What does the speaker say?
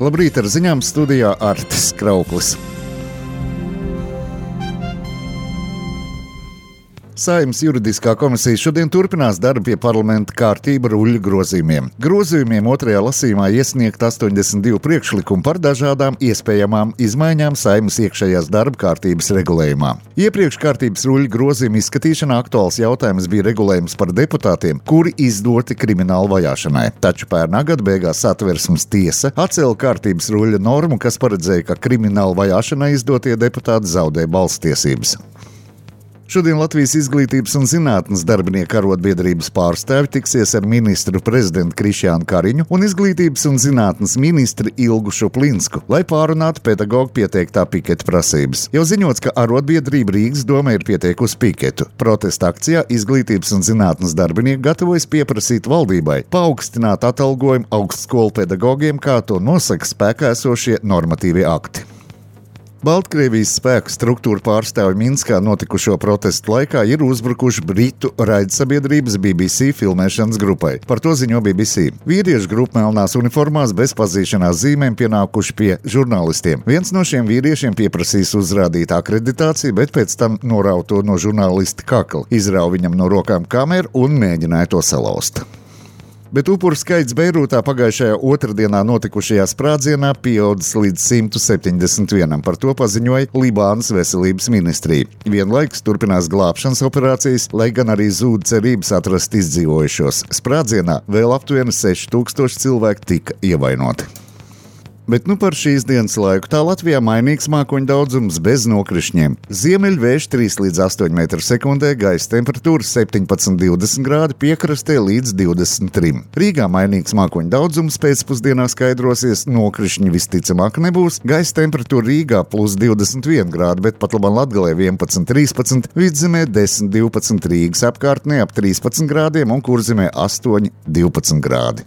Labrīt, ar ziņām studijā Artis Krauklis. Saeimas juridiskā komisija šodien turpinās darbu pie parlamenta kārtība ruļļu grozījumiem. Grozījumiem otrajā lasījumā iesniegt 82 priekšlikumu par dažādām iespējamām izmaiņām Saeimas iekšējās darba kārtības regulējumā. Iepriekš kārtības ruļļu grozījumu izskatīšanā aktuāls jautājums bija regulējums par deputātiem, kuri izdoti kriminālu vajāšanai. Taču pērnā gada beigās Satversmes tiesa atcēla kārtības ruļļa normu, kas paredzēja, ka kriminālu vajāšanai izdotie deputāti zaudē balsstiesības. Šodien Latvijas Izglītības un zinātnes darbinieku arotbiedrības pārstāvi tiksies ar ministru prezidentu Krišjānu Kariņu un Izglītības un zinātnes ministri Ilgu Šuplinsku, lai pārunātu pedagogu pieteiktā piketa prasības. Jau ziņots, ka arotbiedrība Rīgas doma ir pieteikusi piketu. Protesta akcijā Izglītības un zinātnes darbinieki gatavojas pieprasīt valdībai paaugstināt atalgojumu augstskolu pedagogiem, kā to nosaka spēkā esošie normatīvie akti. Baltkrievijas spēku struktūra pārstāvi Minskā notikušo protestu laikā ir uzbrukuši britu raidsabiedrības BBC filmēšanas grupai. Par to ziņo BBC. Vīriešu grupa melnās uniformās bez pazīšanās zīmēm pienākuši pie žurnālistiem. Viens no šiem vīriešiem pieprasīs uzrādīt akreditāciju, bet pēc tam norauj to no žurnālista kakla, izrauj viņam no rokām kameru un mēģināja to salauzt. Bet upuru skaits Beirūtā pagājušajā otrdienā notikušajā sprādzienā pieaudzis līdz 171. Par to paziņoja Libānas veselības ministrija. Vienlaikus turpinās glābšanas operācijas, lai gan arī zūd cerības atrast izdzīvojušos. Sprādzienā vēl aptuveni 6000 cilvēku tika ievainoti. Bet par šīs dienas laiku tā Latvijā mainīgs mākoņu daudzums bez nokrišņiem. Ziemeļvējš 3 līdz 8 m/sekundē, gaisa temperatūra 17–20 grādi, piekrastē līdz 23. Rīgā mainīgs mākoņu daudzums pēcpusdienā skaidrosies, nokrišņi visticamāk nebūs. Gaisa temperatūra Rīgā +21 grādi, bet pat labāk Latgalē 11–13, Vidzemē 10–12, Rīgas apkārtnē ap 13 grādiem un Kurzemē 8–12 grādi.